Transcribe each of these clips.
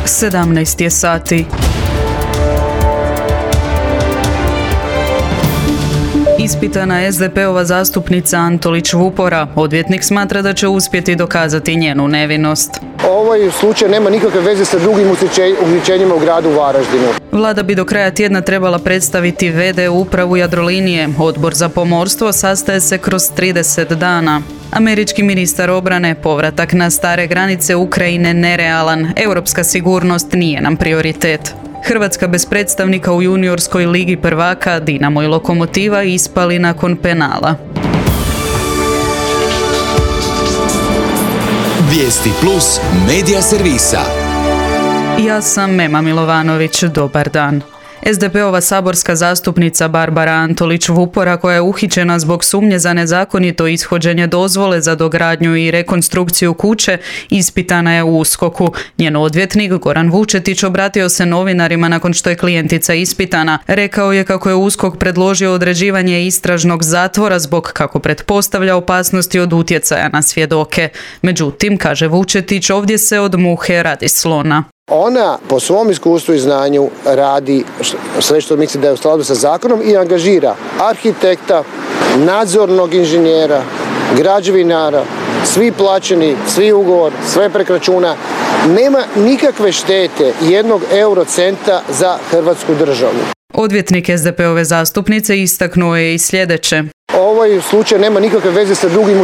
17 je sati. Ispitana SDP-ova zastupnica Antolić Vupora, odvjetnik smatra da će uspjeti dokazati njenu nevinost. Ovaj slučaj nema nikakve veze sa drugim uhićenjima u gradu Varaždinu. Vlada bi do kraja tjedna trebala predstaviti v.d. upravu Jadrolinije. Odbor za pomorstvo sastaje se kroz 30 dana. Američki ministar obrane, povratak na stare granice Ukrajine nerealan. Europska sigurnost nije nam prioritet. Hrvatska bez predstavnika u juniorskoj ligi prvaka, Dinamo i Lokomotiva ispali nakon penala. Vijesti plus medija servisa. Ja sam Mema Milovanović, dobar dan. SDP-ova saborska zastupnica Barbara Antolić Vupora, koja je uhićena zbog sumnje za nezakonito ishođenje dozvole za dogradnju i rekonstrukciju kuće, ispitana je u USKOK-u. Njen odvjetnik Goran Vučetić obratio se novinarima nakon što je klijentica ispitana. Rekao je kako je USKOK predložio određivanje istražnog zatvora zbog, kako pretpostavlja, opasnosti od utjecaja na svjedoke. Međutim, kaže Vučetić, ovdje se od muhe radi slona. Ona po svom iskustvu i znanju radi sve što misli da je u skladu sa zakonom i angažira arhitekta, nadzornog inženjera, građevinara, svi plaćeni, svi ugovor, sve preko računa. Nema nikakve štete jednog eurocenta za Hrvatsku državu. Odvjetnik SDP-ove zastupnice istaknuo je i sljedeće. Ovaj slučaj nema nikakve veze sa drugim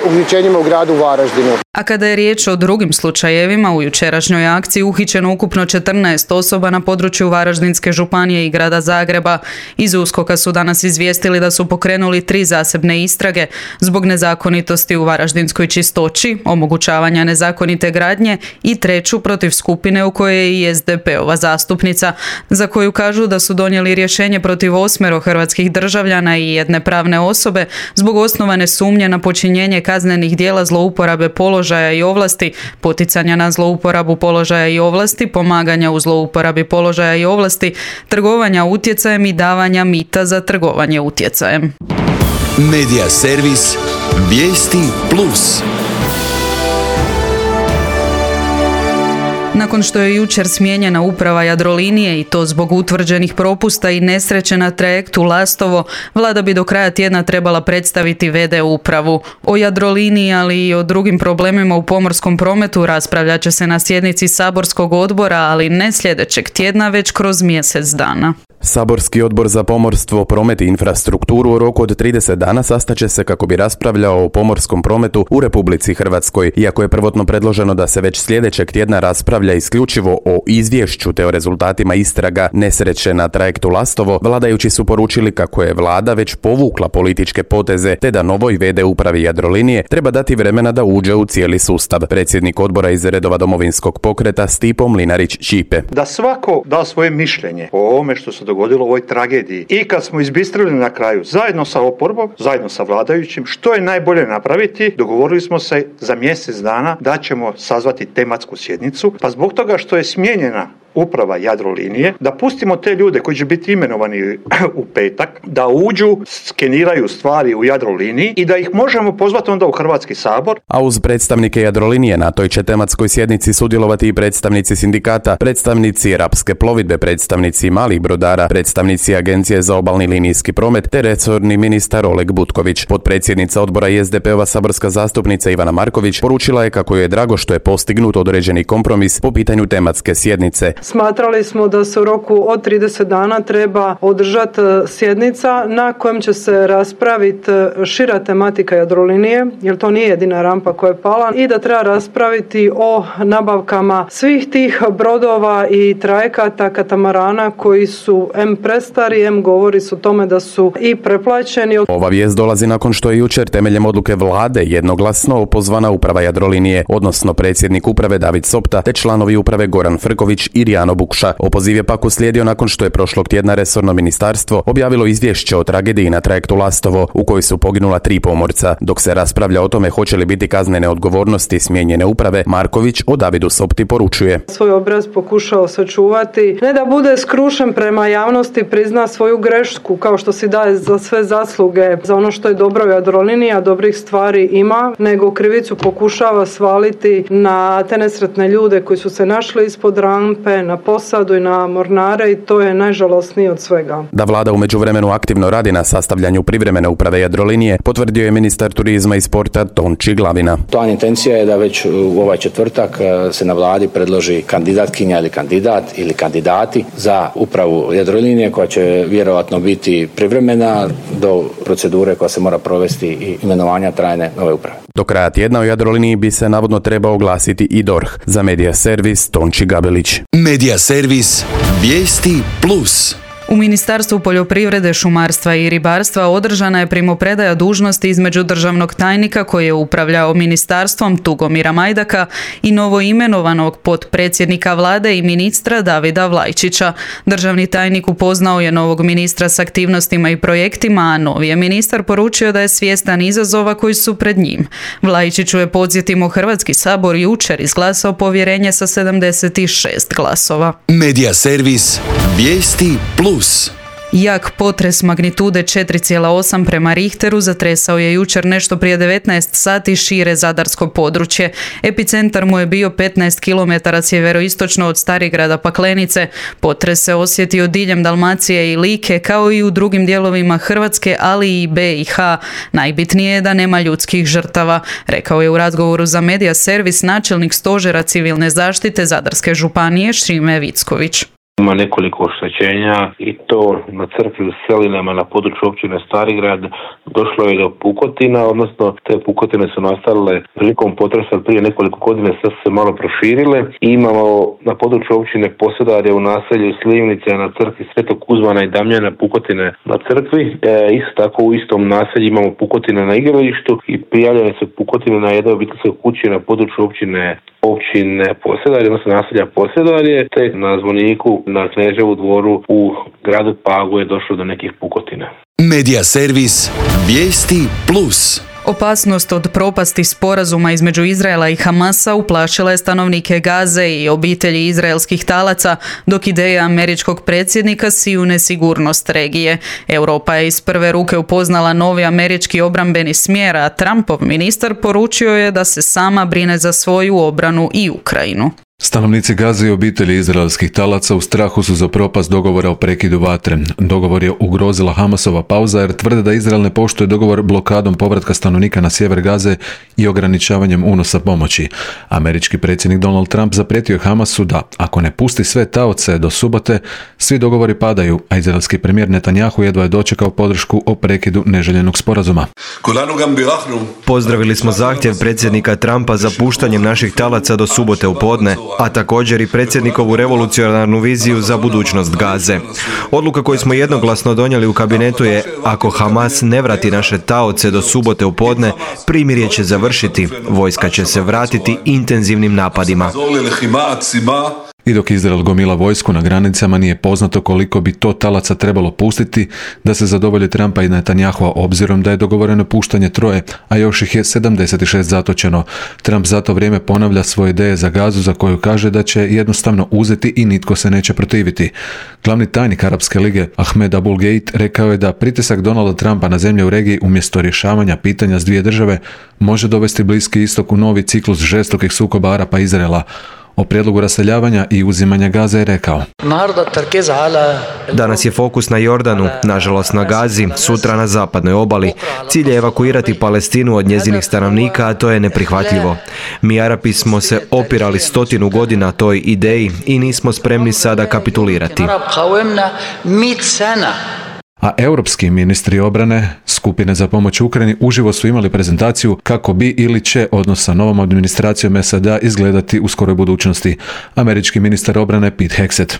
uhićenjima u gradu Varaždinu. A kada je riječ o drugim slučajevima, u jučerašnjoj akciji uhićeno ukupno 14 osoba na području Varaždinske županije i grada Zagreba. Iz USKOK-a su danas izvijestili da su pokrenuli 3 zasebne istrage zbog nezakonitosti u Varaždinskoj Čistoći, omogućavanja nezakonite gradnje i 3 protiv skupine u kojoj je i SDP-ova zastupnica, za koju kažu da su donijeli rješenje protiv 8 hrvatskih državljana i 1 pravne osobe zbog osnovane sumnje na počinjenje kaznenih djela zlouporabe položaja i ovlasti, poticanja na zlouporabu položaja i ovlasti, pomaganja u zlouporabi položaja i ovlasti, trgovanja utjecajem i davanja mita za trgovanje utjecajem. Medija servis Vijesti plus. Nakon što je jučer smijenjena uprava Jadrolinije i to zbog utvrđenih propusta i nesreće na trajektu Lastovo, Vlada bi do kraja tjedna trebala predstaviti v.d. upravu. O Jadroliniji, ali i o drugim problemima u pomorskom prometu raspravljat će se na sjednici saborskog odbora, ali ne sljedećeg tjedna, već kroz mjesec dana. Saborski odbor za pomorstvo, promet i infrastrukturu u roku od 30 dana sastaće se kako bi raspravljao o pomorskom prometu u Republici Hrvatskoj. Iako je prvotno predloženo da se već sljedećeg tjedna raspravlja isključivo o izvješću te o rezultatima istraga nesreće na trajektu Lastovo, vladajući su poručili kako je Vlada već povukla političke poteze te da novoj v.d. upravi Jadrolinije treba dati vremena da uđe u cijeli sustav. Predsjednik odbora iz redova Domovinskog pokreta Stipo Mlinarić-Ćipe. Da svako da svoje mišljenje o ovome što se dogodilo u ovoj tragediji. I kad smo izbistrili na kraju zajedno sa oporbom, zajedno sa vladajućim, što je najbolje napraviti, dogovorili smo se za mjesec dana da ćemo sazvati tematsku sjednicu, pa zbog toga što je smijenjena uprava Jadrolinije, da pustimo te ljude koji će biti imenovani u petak, da uđu, skeniraju stvari u Jadroliniji i da ih možemo pozvati onda u Hrvatski sabor. A uz predstavnike Jadrolinije na toj će tematskoj sjednici sudjelovati i predstavnici sindikata, predstavnici Rapske plovidbe, predstavnici malih brodara, predstavnici Agencije za obalni linijski promet te resorni ministar Oleg Butković. Potpredsjednica odbora i SDP-ova saborska zastupnica Ivana Marković poručila je kako joj je drago što je postignut određeni kompromis po pitanju tematske sjednice. Smatrali smo da se u roku od 30 dana treba održati sjednica na kojem će se raspraviti šira tematika Jadrolinije, jer to nije jedina rampa koja je pala, i da treba raspraviti o nabavkama svih tih brodova i trajekata, katamarana koji su M prestari, M govori su o tome da su i preplaćeni. Ova vijest dolazi nakon što je jučer temeljem odluke Vlade jednoglasno opozvana uprava Jadrolinije, odnosno predsjednik uprave David Sopta te članovi uprave Goran Frković i Mirjano Bukša. Opoziv je pak uslijedio nakon što je prošlog tjedna resorno ministarstvo objavilo izvješće o tragediji na trajektu Lastovo u kojoj su poginula 3 pomorca. Dok se raspravlja o tome hoće li biti kaznene odgovornosti smijenjene uprave, Marković o Davidu Sopti poručuje: svoj obraz pokušao sačuvati, ne da bude skrušen prema javnosti, prizna svoju grešku kao što si daje za sve zasluge, za ono što je dobro u Jadroliniji, a dobrih stvari ima, nego krivicu pokušava svaliti na te nesretne ljude koji su se našli ispod rampe, na posadu i na mornare, i to je najžalosnije od svega. Da vlada u međuvremenu aktivno radi na sastavljanju privremene uprave Jadrolinije potvrdio je ministar turizma i sporta Tonči Glavina. Plan intencija je da već u ovaj četvrtak se na vladi predloži kandidatkinja ili kandidat ili kandidati za upravu Jadrolinije koja će vjerojatno biti privremena do procedure koja se mora provesti i imenovanja trajne nove uprave. Do kraja tjedna u Jadroliniji bi se navodno trebao oglasiti i DORH. Za Medija servis Tonči Gabelić. Medija servis Vijesti Plus. U Ministarstvu poljoprivrede, šumarstva i ribarstva održana je primopredaja dužnosti između državnog tajnika koji je upravljao ministarstvom Tugomira Majdaka i novoimenovanog potpredsjednika vlade i ministra Davida Vlajčića. Državni tajnik upoznao je novog ministra s aktivnostima i projektima, a novi je ministar poručio da je svjestan izazova koji su pred njim. Vlajčiću je, podsjetimo, Hrvatski sabor jučer izglasao povjerenje sa 76 glasova. Medija servis Vijesti Plus. Jak potres magnitude 4,8 prema Richteru zatresao je jučer nešto prije 19 sati šire zadarsko područje. Epicentar mu je bio 15 km sjeveroistočno od Starigrada Paklenice. Potres se osjetio diljem Dalmacije i Like, kao i u drugim dijelovima Hrvatske, ali i BiH. Najbitnije je da nema ljudskih žrtava, rekao je u razgovoru za Medija servis načelnik stožera civilne zaštite Zadarske županije Šime Vicković. Ima nekoliko oštećenja i to na crkvi u Selinama na području općine Starigrad došlo je do pukotina, odnosno te pukotine su nastale prilikom potresa prije nekoliko godina, sad su se malo proširile. I imamo na području općine Posedarje u naselju Slivnice na crkvi Svetog Kuzmana i Damjana pukotine na crkvi. Isto tako u istom naselju imamo pukotine na igralištu i prijavljene su pukotine na jednoj obiteljskoj kući na području općine Posedarje, odnosno naselja Posedarje, te na zvoniku na Kneževu dvoru u gradu Pagu je došlo do nekih pukotina. Medija servis Vijesti Plus. Opasnost od propasti sporazuma između Izraela i Hamasa uplašila je stanovnike Gaze i obitelji izraelskih talaca, dok ideja američkog predsjednika siju nesigurnost regije. Europa je iz prve ruke upoznala novi američki obrambeni smjer, a Trumpov ministar poručio je da se sama brine za svoju obranu i Ukrajinu. Stanovnici Gaze i obitelji izraelskih talaca u strahu su za propast dogovora o prekidu vatre. Dogovor je ugrozila Hamasova pauza jer tvrde da Izrael ne poštuje dogovor blokadom povratka stanovnika na sjever Gaze i ograničavanjem unosa pomoći. Američki predsjednik Donald Trump zaprijetio je Hamasu da, ako ne pusti sve taoce do subote, svi dogovori padaju, a izraelski premijer Netanjahu jedva je dočekao podršku o prekidu neželjenog sporazuma. Pozdravili smo zahtjev predsjednika Trumpa za puštanjem naših talaca do subote u podne, a također i predsjednikovu revolucionarnu viziju za budućnost Gaze. Odluka koju smo jednoglasno donijeli u kabinetu je, ako Hamas ne vrati naše taoce do subote u podne, primirje će završiti, vojska će se vratiti intenzivnim napadima. I dok Izrael gomila vojsku na granicama, nije poznato koliko bi to talaca trebalo pustiti da se zadovolji Trumpa i Netanjahua, obzirom da je dogovoreno puštanje 3, a još ih je 76 zatočeno. Trump za to vrijeme ponavlja svoje ideje za Gazu, za koju kaže da će jednostavno uzeti i nitko se neće protiviti. Glavni tajnik Arapske lige Ahmed Abul Gheit rekao je da pritisak Donalda Trumpa na zemlje u regiji umjesto rješavanja pitanja s dvije države može dovesti Bliski istok u novi ciklus žestokih sukoba Arapa i Izraela. O prijedlogu raseljavanja i uzimanja Gaze je rekao: Danas je fokus na Jordanu, nažalost na Gazi, sutra na zapadnoj obali. Cilj je evakuirati Palestinu od njezinih stanovnika, a to je neprihvatljivo. Mi Arapi smo se opirali 100 godina toj ideji i nismo spremni sada kapitulirati. A europski ministri obrane skupine za pomoć Ukrajini uživo su imali prezentaciju kako bi ili će odnos sa novom administracijom SAD izgledati u skoroj budućnosti. Američki ministar obrane Pete Hegseth.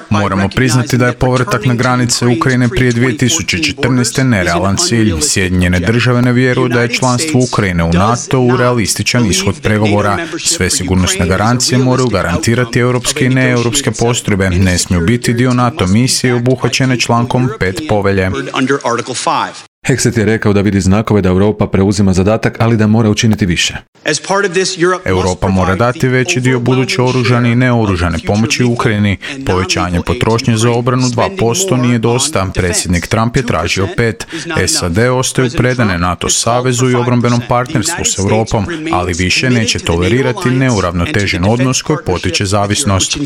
Moramo priznati da je povratak na granice Ukrajine prije 2014. nerealan cilj. Sjedinjene države ne vjeruju da je članstvo Ukrajine u NATO-u realističan ishod pregovora. Sve sigurnosne garancije moraju garantirati europske i neeuropske postrojbe. Ne smiju biti dio NATO misije obuhvaćene člankom 5 povelje. Hegseth je rekao da vidi znakove da Europa preuzima zadatak, ali da mora učiniti više. Europa mora dati veći dio buduće oružane i neoružane pomoći Ukrajini. Povećanje potrošnje za obranu 2% nije dosta. Predsjednik Trump je tražio 5%. SAD ostaju predane NATO savezu i obrambenom partnerstvu s Europom, ali više neće tolerirati neuravnotežen odnos koji potiče zavisnost.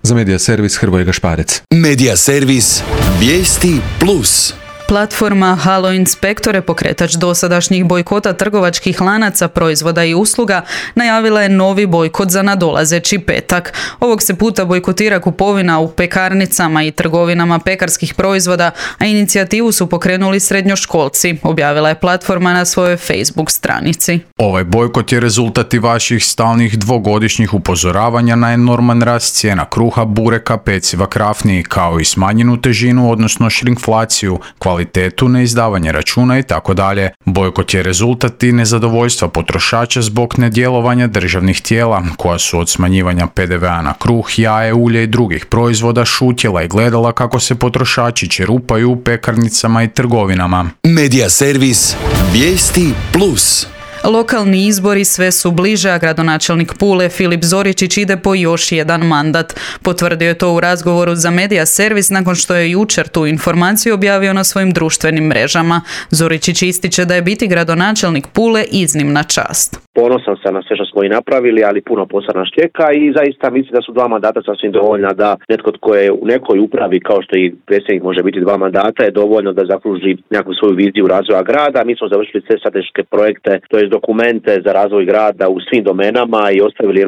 Za Medija servis Hrvoje Gašparec. Medija servis Vijesti Plus. Platforma Halo Inspektore, pokretač dosadašnjih bojkota trgovačkih lanaca proizvoda i usluga, najavila je novi bojkot za nadolazeći petak. Ovog se puta bojkotira kupovina u pekarnicama i trgovinama pekarskih proizvoda, a inicijativu su pokrenuli srednjoškolci, objavila je platforma na svojoj Facebook stranici. Ovaj bojkot je rezultat i vaših stalnih dvogodišnjih upozoravanja na enorman rast cijena kruha, bureka, peciva, krafni, kao i smanjenu težinu, odnosno šrinkflaciju, kvalitetu, neizdavanje računa i tako dalje. Bojkot je rezultat i nezadovoljstva potrošača zbog nedjelovanja državnih tijela, koja su od smanjivanja PDV-a na kruh, jaje, ulje i drugih proizvoda šutjela i gledala kako se potrošači čerupaju u pekarnicama i trgovinama. Medija servis Vijesti Plus. Lokalni izbori sve su bliže, a gradonačelnik Pule Filip Zoričić ide po još jedan mandat. Potvrdio je to u razgovoru za Medija servis nakon što je jučer tu informaciju objavio na svojim društvenim mrežama. Zoričić ističe da je biti gradonačelnik Pule iznimna čast. Ponosan sam na sve što smo i napravili, ali puno posla nas čeka i zaista mislim da su 2 mandata sasvim dovoljna da netko tko je u nekoj upravi, kao što i predsjednik može biti 2 mandata, je dovoljno da zakruži nekakvu svoju viziju razvoja grada. Mi smo završili sve strateške projekte, to je dokumente za razvoj grada u svim domenama i ostavili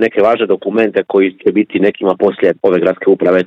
neke važne dokumente koji će biti nekima poslije ove gradske uprave.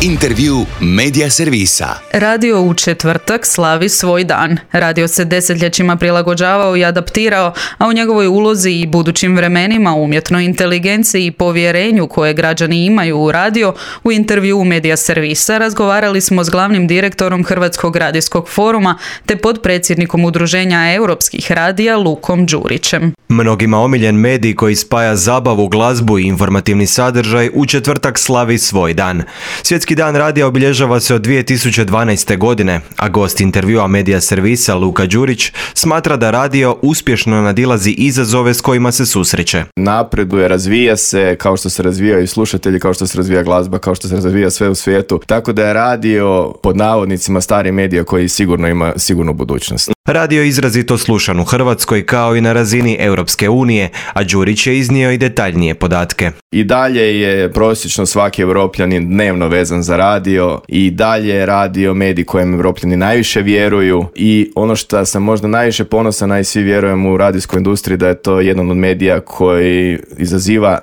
Intervju Medija servisa. Radio u četvrtak slavi svoj dan. Radio se desetljećima prilagođavao i adaptirao, a u njegovoj ulozi i budućim vremenima, umjetnoj inteligenciji i povjerenju koje građani imaju u radio, u intervju Medija servisa razgovarali smo s glavnim direktorom Hrvatskog radijskog foruma te potpredsjednikom Udruženja europskih radija Lukom Đurićem. Mnogima omiljen medij koji spaja zabavu, glazbu i informativni sadržaj u četvrtak slavi svoj dan. Svjetski dan radija obilježava se od 2012. godine, a gost intervjua Medija servisa Luka Đurić smatra da radio uspješno nadilazi izazove s kojima se susreće. Napreduje, razvija se kao što se razvijaju slušatelji, kao što se razvija glazba, kao što se razvija sve u svijetu. Tako da je radio pod navodnicima stari medija koji sigurno ima sigurnu budućnost. Radio je izrazito slušan u Hrvatskoj kao i na razini Europske unije, a Đurić je iznio i detaljnije podatke. I dalje je prosječno svaki Evropljanin dnevno vezan za radio i dalje je radio medij kojem Evropljani najviše vjeruju i ono što sam možda najviše ponosan, a i svi vjerujemo u radijskoj industriji, da je to jedan od medija koji izaziva,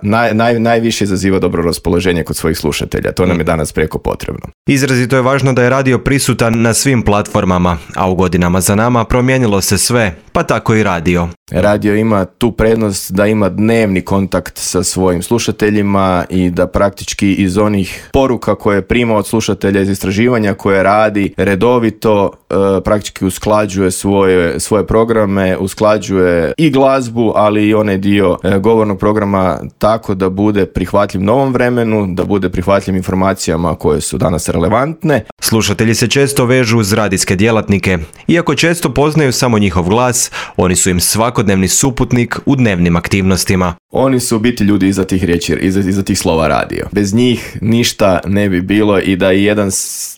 najviše izaziva dobro raspoloženje kod svojih slušatelja. To nam je danas prijeko potrebno. Izrazito je važno da je radio prisutan na svim platformama, a u godinama za nama promijenilo se sve, pa tako i radio. Radio ima tu prednost da ima dnevni kontakt sa svojim slušateljima i da praktički iz onih poruka koje prima od slušatelja, iz istraživanja koje radi redovito, praktički usklađuje svoje programe, usklađuje i glazbu, ali i onaj dio govornog programa tako da bude prihvatljiv novom vremenu, da bude prihvatljiv informacijama koje su danas relevantne. Slušatelji se često vežu uz radijske djelatnike. Iako često poznaju samo njihov glas, oni su im svakodnevni suputnik u dnevnim aktivnostima. Oni su u biti ljudi iza tih riječi, iza tih slova radio. Bez njih ništa ne bi bilo i da i jedan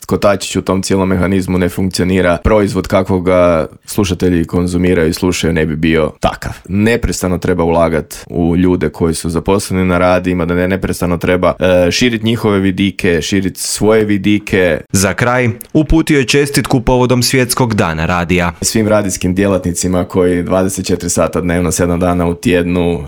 kotačić u tom cijelom mehanizmu ne funkcionira, proizvod kakvog ga slušatelji konzumiraju i slušaju ne bi bio takav. Neprestano treba ulagati u ljude koji su zaposleni na radijima, da neprestano treba širiti njihove vidike, širiti svoje vidike. Za kraj uputio je čestitku povodom Svjetskog dana radija. svim radijskim djelatnicima koji 24 sata dnevno, 7 dana u tjednu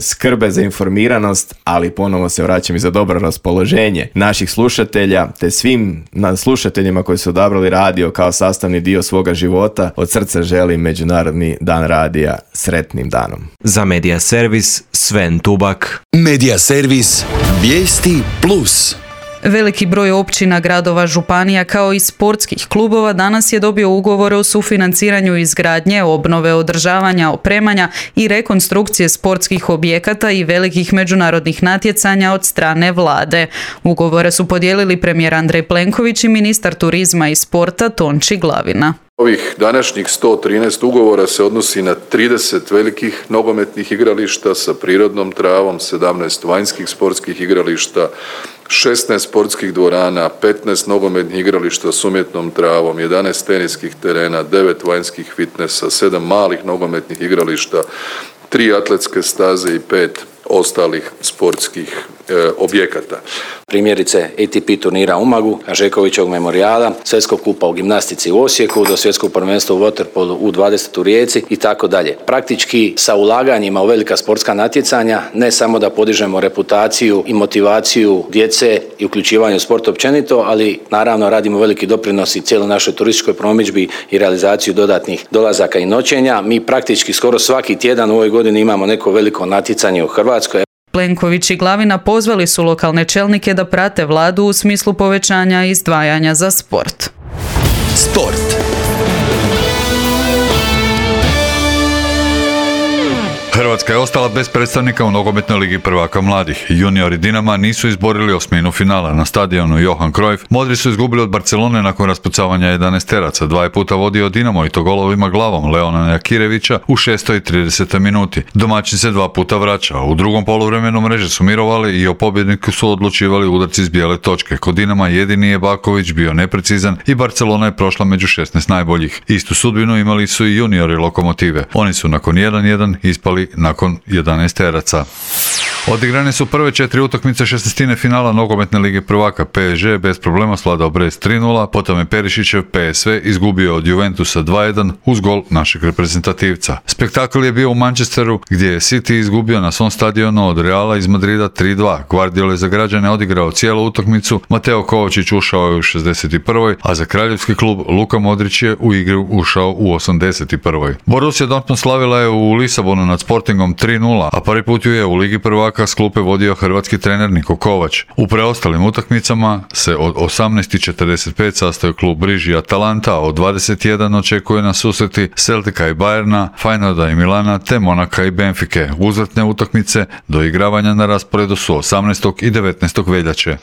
skrbe za informiranost, ali ponovo se vraćam i za dobro raspoloženje naših slušatelja, te svim slušateljima koji su odabrali radio kao sastavni dio svoga života. Od srca želim Međunarodni dan radija sretnim danom. Za Medija Servis, Sven Tubak. Medija Servis, vijesti plus. Veliki broj općina, gradova, županija kao i sportskih klubova danas je dobio ugovore o sufinanciranju izgradnje, obnove, održavanja, opremanja i rekonstrukcije sportskih objekata i velikih međunarodnih natjecanja od strane vlade. Ugovore su podijelili premijer Andrej Plenković i ministar turizma i sporta Tonči Glavina. Ovih današnjih 113 ugovora se odnosi na 30 velikih nogometnih igrališta sa prirodnom travom, 17 vanjskih sportskih igrališta, 16 sportskih dvorana, 15 nogometnih igrališta s umjetnom travom, 11 teniskih terena, 9 vanjskih fitnesa, 7 malih nogometnih igrališta, 3 atletske staze i 5 ostalih sportskih objekata. Primjerice ATP turnira u Umagu, Žekovićevog memorijala, svjetskog kupa u gimnastici u Osijeku, do svjetskog prvenstva u waterpolu u 20 u Rijeci i tako dalje. Praktički sa ulaganjima u velika sportska natjecanja ne samo da podižemo reputaciju i motivaciju djece i uključivanje u sport općenito, ali naravno radimo veliki doprinos i cijeloj našoj turističkoj promidžbi i realizaciju dodatnih dolazaka i noćenja. Mi praktički skoro svaki tjedan u ovoj godini imamo neko veliko natjecanje u Hrvatskoj. Plenković i Glavina pozvali su lokalne čelnike da prate vladu u smislu povećanja izdvajanja za sport. Sport. Hrvatska je ostala bez predstavnika u nogometnoj ligi prvaka mladih. Juniori Dinama nisu izborili osminu finala na stadionu Johan Cruyff. Modri su izgubili od Barcelone nakon raspucavanja 11 teraca. 2 puta vodio Dinamo i to golovima glavom Leona Jakirevića u 6. i 30. minuti. Domaćin se 2 puta vraća. U drugom poluvremenu mreže su mirovali i o pobjedniku su odlučivali udarci iz bijele točke. Kod Dinama jedini je Baković bio neprecizan i Barcelona je prošla među 16 najboljih. Istu sudbinu imali su i juniori Lokomotive. Oni su nakon 1-1 ispali nakon 11 teraca. Odigrane su prve 4 utakmice 16. finala nogometne lige prvaka. PSG bez problema svladao Brest 3-0, potom je Perišićev PSV izgubio od Juventusa 2-1 uz gol našeg reprezentativca. Spektakl je bio u Manchesteru gdje je City izgubio na svom stadionu od Reala iz Madrida 3-2. Guardiola je za građane odigrao cijelu utakmicu, Mateo Kovačić ušao je u 61. a za kraljevski klub Luka Modrić je u igru ušao u 81. Borussia Dortmund slavila je u Lisabonu nad Sportingom 3-0, a prvi put ju je u ligi prvaka s klupe vodio hrvatski trener Niko Kovač. U preostalim utakmicama se od 18:45 sastoji klub Briži i Atalanta, a od 21 očekuje na susreti Celtica i Bayerna, Feyenoorda i Milana te Monaka i Benfike. Uzvratne utakmice do igravanja na rasporedu su 18. i 19. veljače.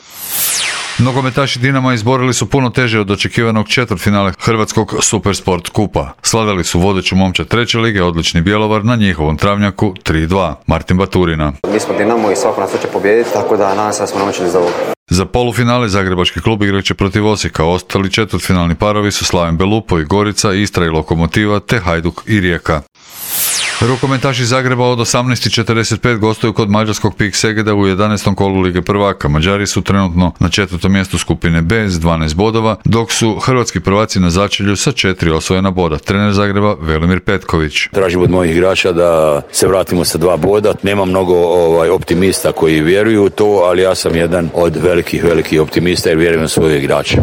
Nogometaši Dinama izborili su puno teže od očekivanog četvrtfinale Hrvatskog Supersport kupa. Slavili su vodeću momčad treće lige, odlični Bjelovar, na njihovom travnjaku 3-2. Martin Baturina. Mi smo Dinamo i svako nas hoće pobijediti, tako da nadam se da smo naučili za ovo. Za polufinale Zagrebački klub igrat će protiv Osijeka. Ostali četvrtfinalni parovi su Slaven Belupo i Gorica, Istra i Lokomotiva te Hajduk i Rijeka. Rukometaši Zagreba od 18:45 gostuju kod mađarskog PIK Segeda u 11. kolu Lige prvaka. Mađari su trenutno na 4. mjestu skupine B s 12 bodova, dok su hrvatski prvaci na začelju sa 4 osvojena boda. Trener Zagreba Velimir Petković. Tražim od mojih igrača da se vratimo sa 2 boda. Nema mnogo optimista koji vjeruju u to, ali ja sam jedan od velikih optimista jer vjerujem u svoje igrače.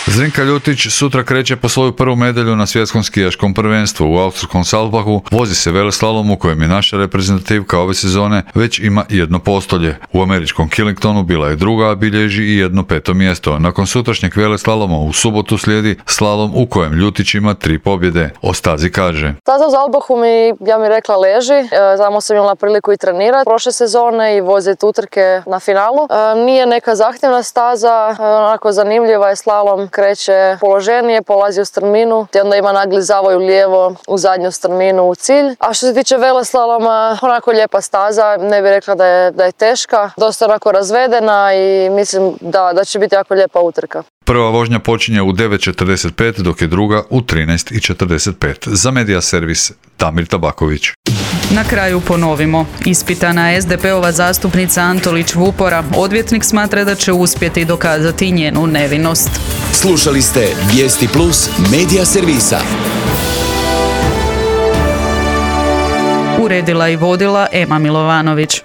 Zrinka Ljutić sutra kreće po svoju prvu medalju na svjetskom skijaškom prvenstvu u austrijskom Salzbachu. Vozi se veleslalom u kojem je naša reprezentativka ove sezone već ima 1 postolje. U američkom Killingtonu bila je druga, a bilježi i 1 5. mjesto. Nakon sutrašnjeg veleslaloma u subotu slijedi slalom u kojem Ljutić ima 3 pobjede. O stazi kaže: Staza u Salzbachu mi rekla leži. Tamo sam imala priliku i trenirati prošle sezone i voziti utrke na finalu. Nije neka zahtjevna staza, onako zanimljiva je slalom. Kreće položenije, polazi u strminu, te onda ima nagli zavoj u lijevo u zadnju strminu u cilj. A što se tiče veleslaloma, onako lijepa staza, ne bih rekla da je teška, dosta onako razvedena i mislim da će biti jako lijepa utrka. Prva vožnja počinje u 9:45, dok je druga u 13:45. Za Medija Servis Damir Tabaković. Na kraju ponovimo. Ispitana SDP-ova zastupnica Antolić Vupora, odvjetnik smatra da će uspjeti dokazati njenu nevinost. Slušali ste Vijesti Plus Medija Servisa. uredila i vodila Ema Milovanović.